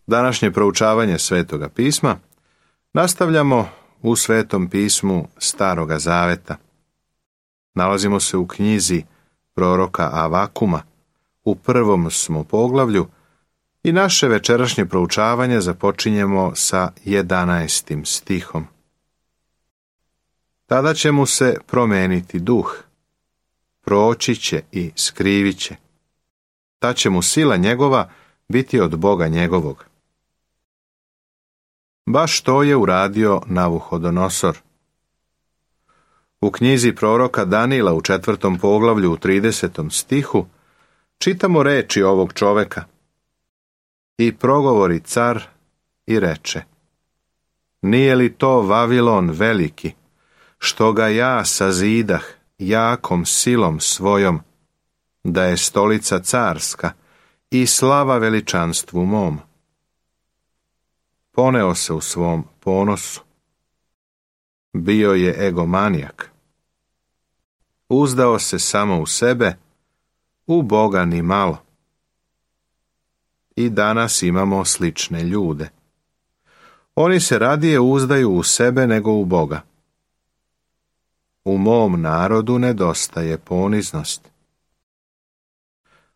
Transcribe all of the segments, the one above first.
Današnje proučavanje Svetoga pisma nastavljamo u Svetom pismu Staroga Zaveta. Nalazimo se u knjizi proroka Avakuma, u 1. smo poglavlju i naše večerašnje proučavanje započinjemo sa 11. stihom. Tada će mu se promeniti duh, proći će i skrivit će. Ta će mu sila njegova biti od Boga njegovog. Baš to je uradio Navuhodonosor. U knjizi proroka Danila u 4. poglavlju u 30. stihu čitamo reči ovog čoveka. I progovori car i reče: Nije li to Vavilon veliki, što ga ja sazidah jakom silom svojom, da je stolica carska i slava veličanstvu mom? Poneo se u svom ponosu. Bio je egomanijak. Uzdao se samo u sebe, u Boga ni malo. I danas imamo slične ljude. Oni se radije uzdaju u sebe nego u Boga. U mom narodu nedostaje poniznost.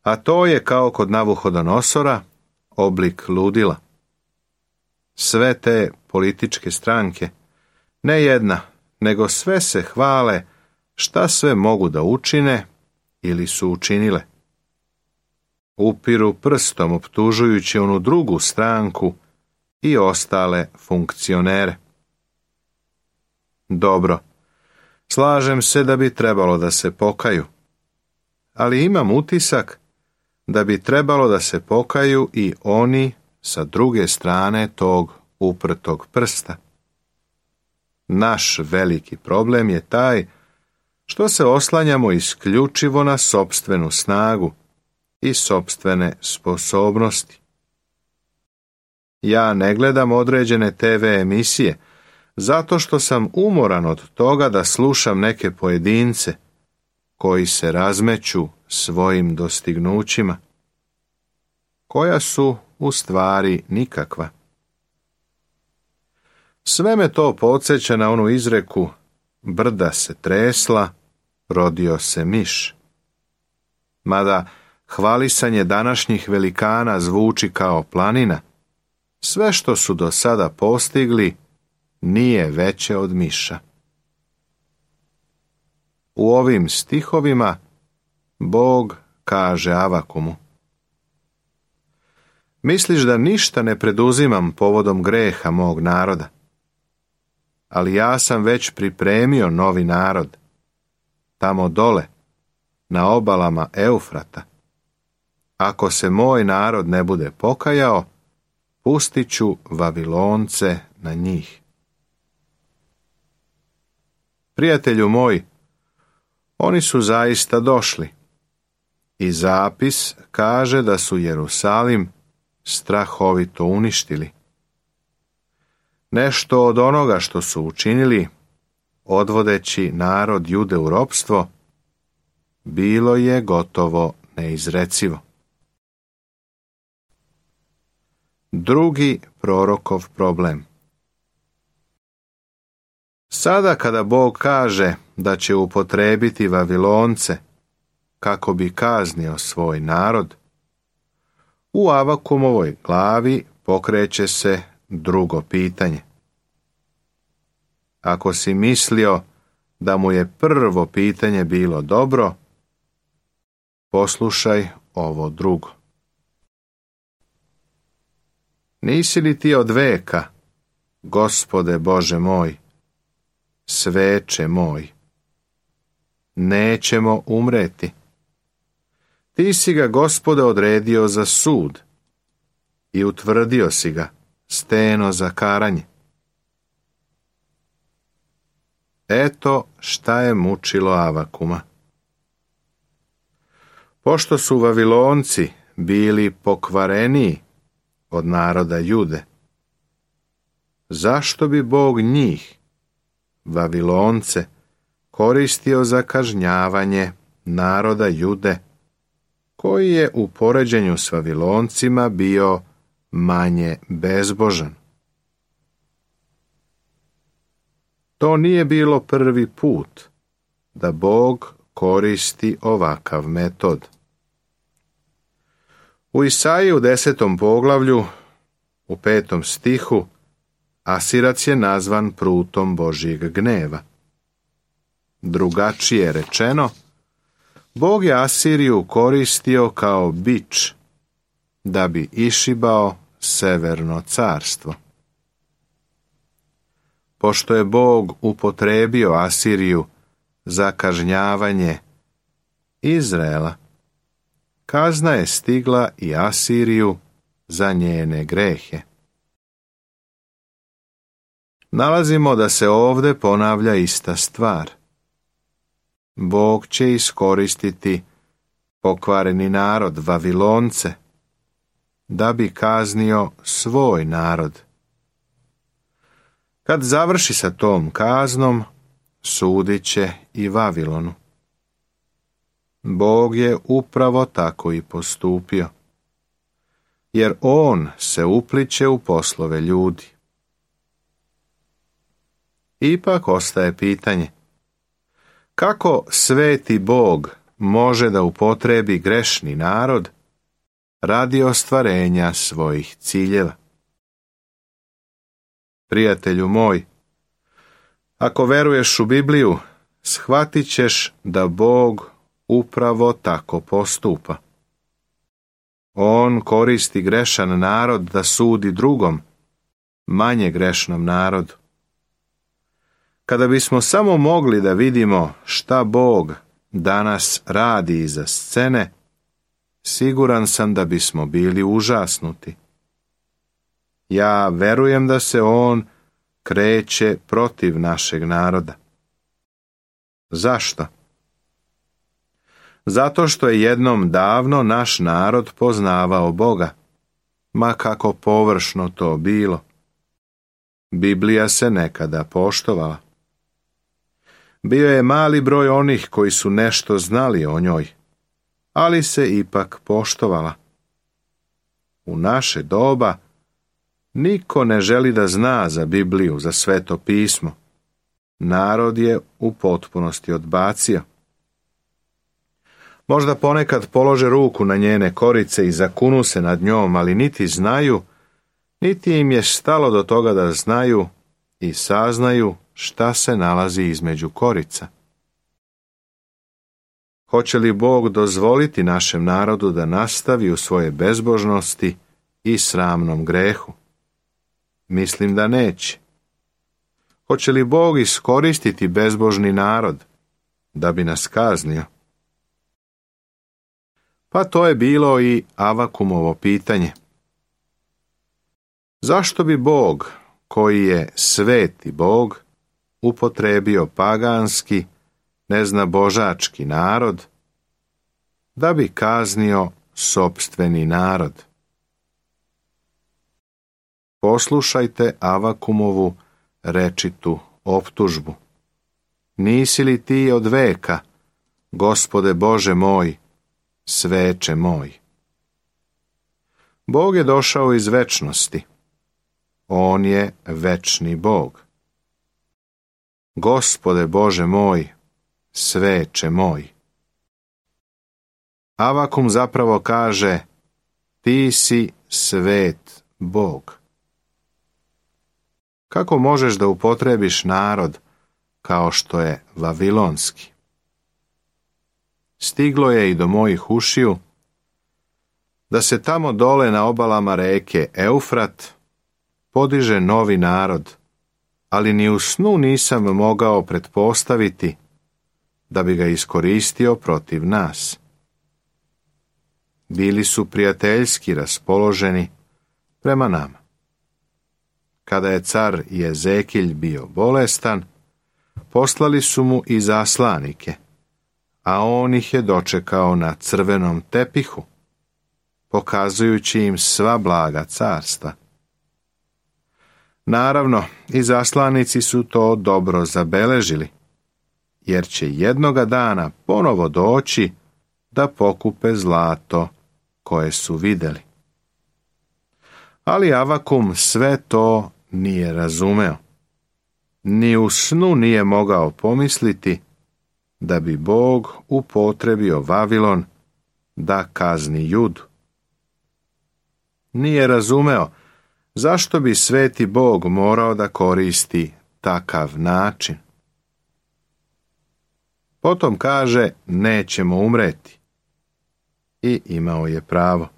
A to je kao kod Navuhodonosora oblik ludila. Sve te političke stranke, ne jedna, nego sve se hvale šta sve mogu da učine ili su učinile. Upiru prstom optužujući onu drugu stranku i ostale funkcionere. Dobro, slažem se da bi trebalo da se pokaju, ali imam utisak da bi trebalo da se pokaju i oni sa druge strane tog uprtog prsta. Naš veliki problem je taj što se oslanjamo isključivo na sopstvenu snagu i sopstvene sposobnosti. Ja ne gledam određene TV emisije zato što sam umoran od toga da slušam neke pojedince koji se razmeću svojim dostignućima, koja su u stvari nikakva. Sve me to podsjeća na onu izreku: brda se tresla, rodio se miš. Mada hvalisanje današnjih velikana zvuči kao planina, sve što su do sada postigli nije veće od miša. U ovim stihovima Bog kaže Avakumu: Misliš da ništa ne preduzimam povodom greha mog naroda? Ali ja sam već pripremio novi narod, tamo dole, na obalama Eufrata. Ako se moj narod ne bude pokajao, pustit ću Vavilonce na njih. Prijatelju moj, oni su zaista došli i zapis kaže da su Jerusalim strahovito uništili. Nešto od onoga što su učinili, odvodeći narod Jude u ropstvo, bilo je gotovo neizrecivo. Drugi prorokov problem. Sada kada Bog kaže da će upotrebiti Vavilonce kako bi kaznio svoj narod, u Avakumovoj glavi pokreće se drugo pitanje. Ako si mislio da mu je prvo pitanje bilo dobro, poslušaj ovo drugo. Nisi li ti od veka, Gospode Bože moj, sveče moj? Nećemo umreti. Ti si ga, Gospode, odredio za sud i utvrdio si ga steno za karanje. Eto šta je mučilo Avakuma. Pošto su Vavilonci bili pokvareniji od naroda Jude, zašto bi Bog njih, Vavilonce, koristio za kažnjavanje naroda Jude, koji je u poređenju s Vaviloncima bio manje bezbožan. To nije bilo prvi put da Bog koristi ovakav metod. U Isaiji u 10. poglavlju, u 5. stihu, Asirac je nazvan prutom Božjeg gneva. Drugačije rečeno, Bog je Asiriju koristio kao bič da bi išibao severno carstvo. Pošto je Bog upotrebio Asiriju za kažnjavanje Izraela, kazna je stigla i Asiriju za njene grehe. Nalazimo da se ovdje ponavlja ista stvar. Bog će iskoristiti pokvareni narod, Vavilonce, da bi kaznio svoj narod. Kad završi sa tom kaznom, sudit će i Vavilonu. Bog je upravo tako i postupio, jer on se upliće u poslove ljudi. Ipak ostaje pitanje, kako sveti Bog može da upotrebi grešni narod radi ostvarenja svojih ciljeva? Prijatelju moj, ako veruješ u Bibliju, shvatit ćeš da Bog upravo tako postupa. On koristi grešan narod da sudi drugom, manje grešnom narodu. Kada bismo samo mogli da vidimo šta Bog danas radi iza scene, siguran sam da bismo bili užasnuti. Ja verujem da se on kreće protiv našeg naroda. Zašto? Zato što je jednom davno naš narod poznavao Boga, ma kako površno to bilo. Biblija se nekada poštovala. Bio je mali broj onih koji su nešto znali o njoj, ali se ipak poštovala. U naše doba niko ne želi da zna za Bibliju, za Sveto pismo. Narod je u potpunosti odbacio. Možda ponekad polože ruku na njene korice i zakunu se nad njom, ali niti znaju, niti im je stalo do toga da znaju i saznaju šta se nalazi između korica. Hoće li Bog dozvoliti našem narodu da nastavi u svoje bezbožnosti i sramnom grehu? Mislim da neće. Hoće li Bog iskoristiti bezbožni narod da bi nas kaznio? Pa to je bilo i Avakumovo pitanje. Zašto bi Bog, koji je sveti Bog, upotrebio paganski, neznabožački narod, da bi kaznio sopstveni narod? Poslušajte Avakumovu rečitu optužbu. Nisi li ti od veka, Gospode Bože moj, sveče moj? Bog je došao iz večnosti. On je večni Bog. Gospode Bože moj, sveče moj. Avakum zapravo kaže, ti si svet Bog. Kako možeš da upotrebiš narod kao što je vavilonski? Stiglo je i do mojih ušiju da se tamo dole na obalama reke Eufrat podiže novi narod, ali ni u snu nisam mogao pretpostaviti da bi ga iskoristio protiv nas. Bili su prijateljski raspoloženi prema nama. Kada je car Jezekilj bio bolestan, poslali su mu i zaslanike, a on ih je dočekao na crvenom tepihu, pokazujući im sva blaga carstva. Naravno, i zaslanici su to dobro zabeležili, jer će jednoga dana ponovo doći da pokupe zlato koje su vidjeli. Ali Avakum sve to nije razumeo. Ni u snu nije mogao pomisliti da bi Bog upotrebio Vavilon da kazni Judu. Nije razumeo zašto bi sveti Bog morao da koristi takav način. Potom kaže, nećemo umreti. I imao je pravo.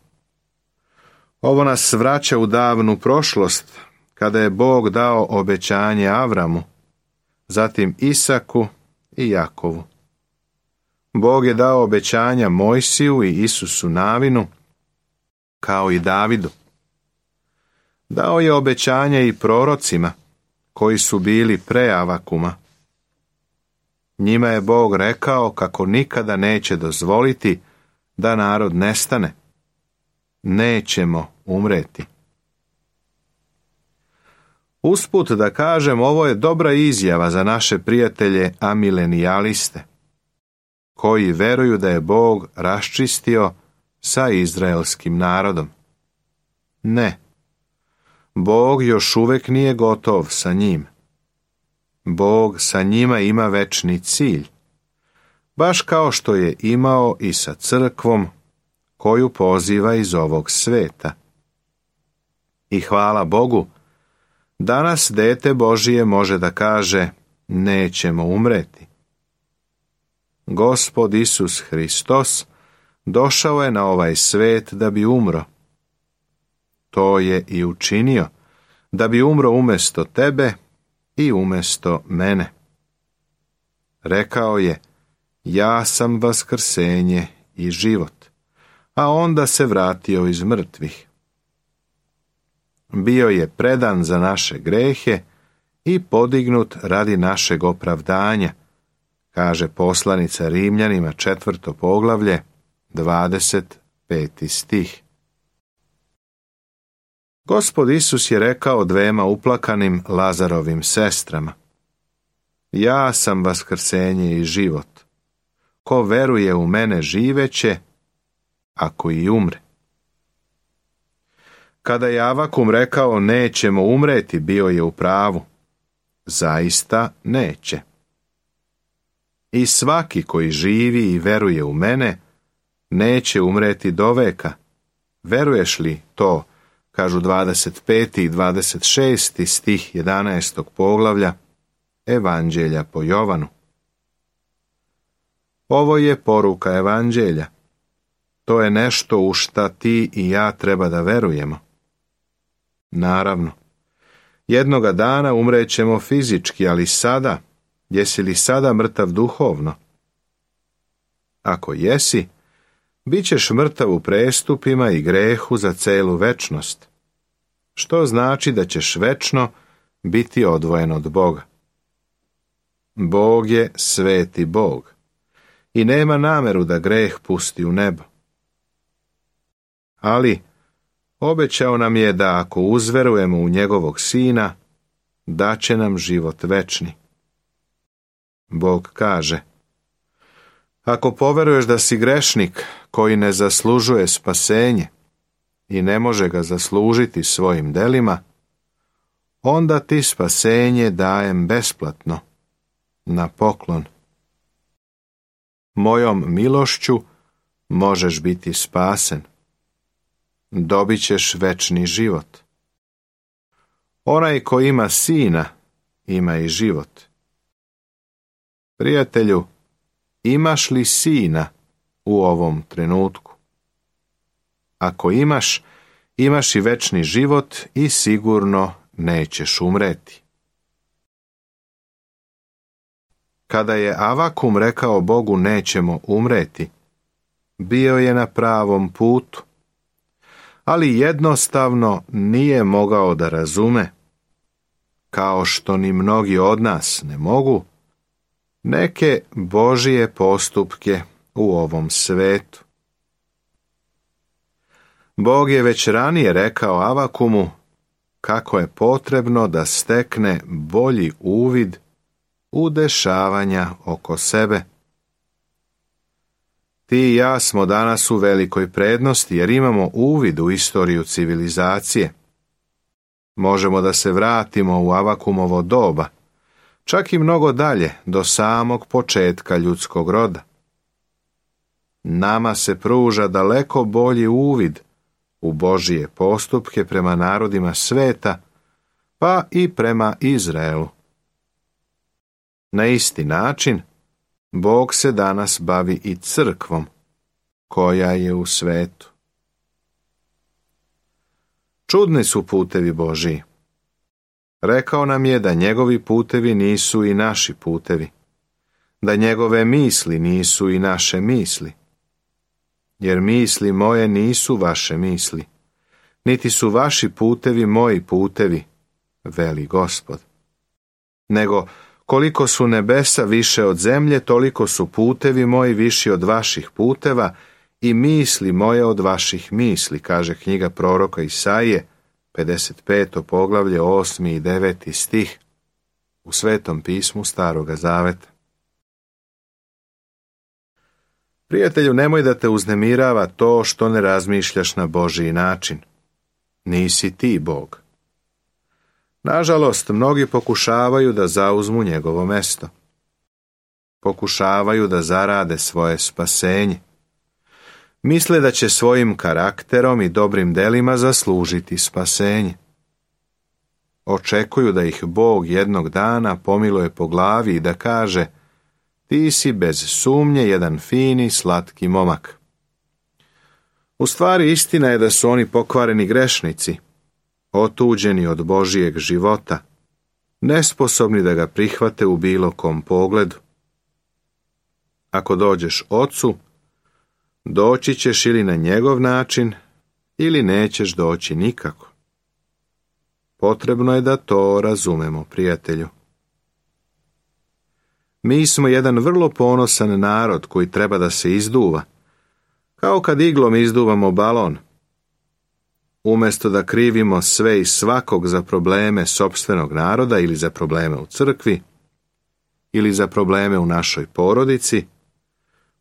Ovo nas vraća u davnu prošlost, kada je Bog dao obećanje Avramu, zatim Isaku i Jakovu. Bog je dao obećanja Mojsiju i Isusu Navinu, kao i Davidu. Dao je obećanje i prorocima, koji su bili pre Avakuma. Njima je Bog rekao kako nikada neće dozvoliti da narod nestane. Nećemo umreti. Usput da kažem, ovo je dobra izjava za naše prijatelje amilenijaliste, koji veruju da je Bog raščistio sa izraelskim narodom. Ne, Bog još uvek nije gotov sa njim. Bog sa njima ima večni cilj, baš kao što je imao i sa crkvom koju poziva iz ovog sveta. I hvala Bogu, danas dete Božije može da kaže, nećemo umreti. Gospod Isus Hristos došao je na ovaj svet da bi umro. To je i učinio, da bi umro umjesto tebe i umjesto mene. Rekao je, ja sam vaskrsenje i život, a onda se vratio iz mrtvih. Bio je predan za naše grehe i podignut radi našeg opravdanja, kaže poslanica Rimljanima 4. poglavlje, 25. stih. Gospod Isus je rekao dvema uplakanim Lazarovim sestrama, ja sam vaskrsenje i život. Ko veruje u mene živeće, ako i umre. Kada je Avakum rekao nećemo umreti, bio je u pravu. Zaista neće. I svaki koji živi i veruje u mene, neće umreti do veka. Veruješ li to, kažu 25. i 26. stih 11. poglavlja Evanđelja po Jovanu. Ovo je poruka Evanđelja. To je nešto u šta ti i ja treba da verujemo. Naravno, jednoga dana umrećemo fizički, ali sada, jesi li sada mrtav duhovno? Ako jesi, bit ćeš mrtav u prestupima i grehu za celu večnost, što znači da ćeš večno biti odvojen od Boga. Bog je sveti Bog i nema nameru da greh pusti u nebo. Ali obećao nam je da ako uzverujemo u njegovog Sina, daće nam život večni. Bog kaže, ako poveruješ da si grešnik koji ne zaslužuje spasenje i ne može ga zaslužiti svojim delima, onda ti spasenje dajem besplatno, na poklon. Mojom milošću možeš biti spasen. Dobit ćeš večni život. Onaj ko ima Sina, ima i život. Prijatelju, imaš li Sina u ovom trenutku? Ako imaš, imaš i večni život i sigurno nećeš umreti. Kada je Avakum rekao Bogu nećemo umreti, bio je na pravom putu, ali jednostavno nije mogao da razume, kao što ni mnogi od nas ne mogu, neke Božije postupke u ovom svetu. Bog je već ranije rekao Avakumu kako je potrebno da stekne bolji uvid u dešavanja oko sebe. Ti i ja smo danas u velikoj prednosti jer imamo uvid u istoriju civilizacije, Možemo da se vratimo u Avakumovo doba, čak i mnogo dalje, do samog početka ljudskog roda. Nama se pruža daleko bolji uvid u Božije postupke prema narodima sveta, pa i prema Izraelu. Na isti način, Bog se danas bavi i crkvom, koja je u svetu. Čudni su putevi Božiji. Rekao nam je da njegovi putevi nisu i naši putevi, da njegove misli nisu i naše misli. Jer misli moje nisu vaše misli, niti su vaši putevi moji putevi, veli Gospod. Nego, koliko su nebesa više od zemlje, toliko su putevi moji viši od vaših puteva i misli moje od vaših misli, kaže knjiga proroka Isaije, 55. poglavlje, 8. i 9. stih, u Svetom pismu Staroga Zaveta. Prijatelju, nemoj da te uznemirava to što ne razmišljaš na Božji način. Nisi ti Bog. Nažalost, mnogi pokušavaju da zauzmu njegovo mesto. Pokušavaju da zarade svoje spasenje. Misle da će svojim karakterom i dobrim delima zaslužiti spasenje. Očekuju da ih Bog jednog dana pomiluje po glavi i da kaže: ti si bez sumnje jedan fini, slatki momak. U stvari, istina je da su oni pokvareni grešnici, otuđeni od Božijeg života, nesposobni da ga prihvate u bilo kom pogledu. Ako dođeš Ocu, doći ćeš ili na njegov način, ili nećeš doći nikako. Potrebno je da to razumemo, prijatelju. Mi smo jedan vrlo ponosan narod koji treba da se izduva, kao kad iglom izduvamo balon. Umjesto da krivimo sve i svakog za probleme sopstvenog naroda ili za probleme u crkvi, ili za probleme u našoj porodici,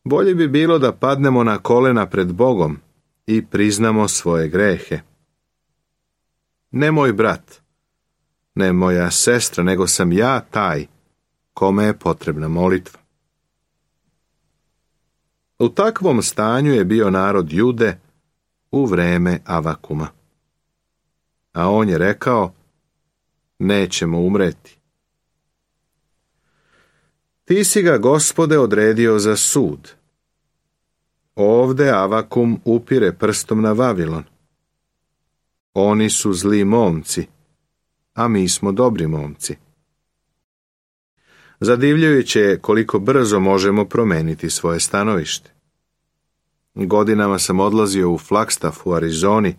bolje bi bilo da padnemo na kolena pred Bogom i priznamo svoje grehe. Ne moj brat, ne moja sestra, nego sam ja taj kome je potrebna molitva. U takvom stanju je bio narod Jude u vreme Avakuma. A on je rekao: nećemo umreti. Ti si ga, Gospode, odredio za sud. Ovde Avakum upire prstom na Vavilon. Oni su zli momci, a mi smo dobri momci. Zadivljujuće je koliko brzo možemo promeniti svoje stanovište. Godinama sam odlazio u Flagstaff u Arizoni,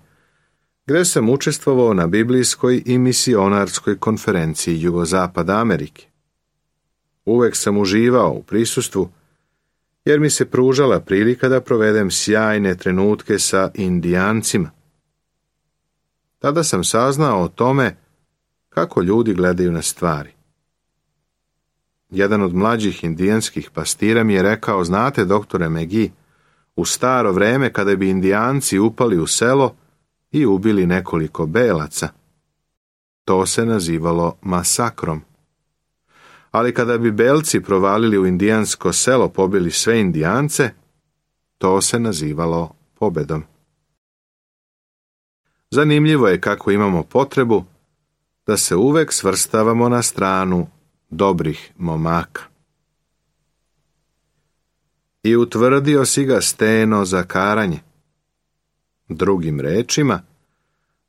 gdje sam učestvovao na biblijskoj i misionarskoj konferenciji Jugozapada Amerike. Uvek sam uživao u prisustvu, jer mi se pružala prilika da provedem sjajne trenutke sa Indijancima. Tada sam saznao o tome kako ljudi gledaju na stvari. Jedan od mlađih indijanskih pastira mi je rekao: znate, doktore McGee, u staro vreme kada bi Indijanci upali u selo i ubili nekoliko belaca, to se nazivalo masakrom. Ali kada bi belci provalili u indijansko selo, pobili sve Indijance, to se nazivalo pobedom. Zanimljivo je kako imamo potrebu da se uvek svrstavamo na stranu dobrih momaka. I utvrdio si ga steno za karanje. Drugim rečima,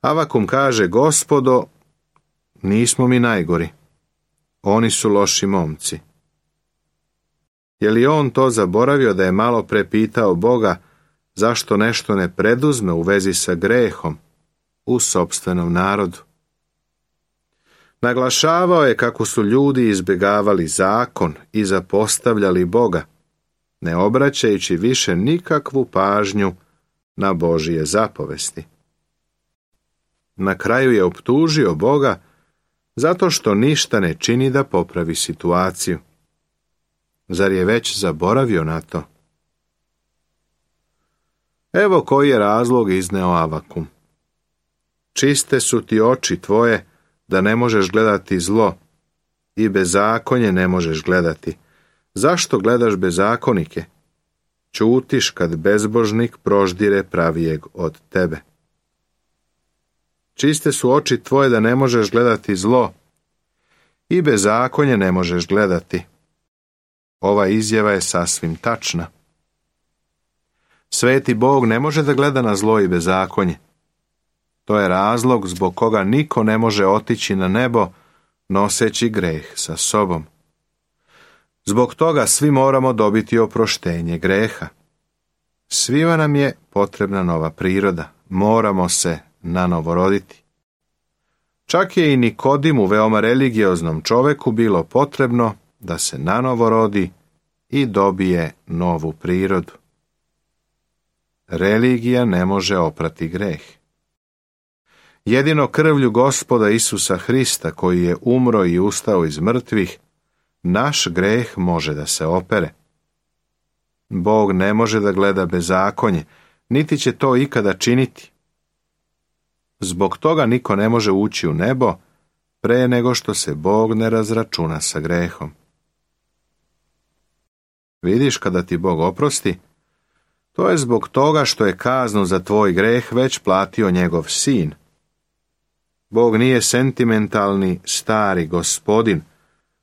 Avakum kaže: Gospodo, nismo mi najgori. Oni su loši momci. Je li on to zaboravio da je malo pre pitao Boga zašto nešto ne preduzme u vezi sa grehom u sopstvenom narodu? Naglašavao je kako su ljudi izbjegavali zakon i zapostavljali Boga, ne obraćajući više nikakvu pažnju na Božije zapovesti. Na kraju je optužio Boga zato što ništa ne čini da popravi situaciju. Zar je već zaboravio na to? Evo koji je razlog izneo Avakum. Čiste su ti oči tvoje da ne možeš gledati zlo i bezakonje ne možeš gledati. Zašto gledaš bezakonike? Ćutiš kad bezbožnik proždire pravijeg od tebe. Čiste su oči tvoje da ne možeš gledati zlo i bezakonje ne možeš gledati. Ova izjava je sasvim tačna. Sveti Bog ne može da gleda na zlo i bezakonje. To je razlog zbog koga niko ne može otići na nebo noseći greh sa sobom. Zbog toga svi moramo dobiti oproštenje greha. Svima nam je potrebna nova priroda. Moramo se nanovo roditi. Čak je i Nikodimu, veoma religioznom čoveku, bilo potrebno da se nanovo rodi i dobije novu prirodu. Religija ne može oprati greh. Jedino krvlju Gospoda Isusa Hrista, koji je umro i ustao iz mrtvih, naš greh može da se opere. Bog ne može da gleda bezakonje, niti će to ikada činiti. Zbog toga niko ne može ući u nebo pre nego što se Bog ne razračuna sa grehom. Vidiš, kada ti Bog oprosti, to je zbog toga što je kaznu za tvoj greh već platio njegov sin. Bog nije sentimentalni stari gospodin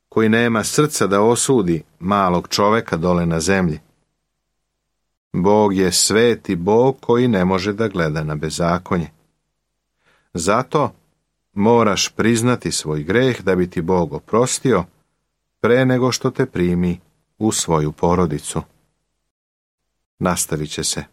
koji nema srca da osudi malog čoveka dole na zemlji. Bog je sveti Bog koji ne može da gleda na bezakonje. Zato moraš priznati svoj greh da bi ti Bog oprostio pre nego što te primi u svoju porodicu. Nastavit će se.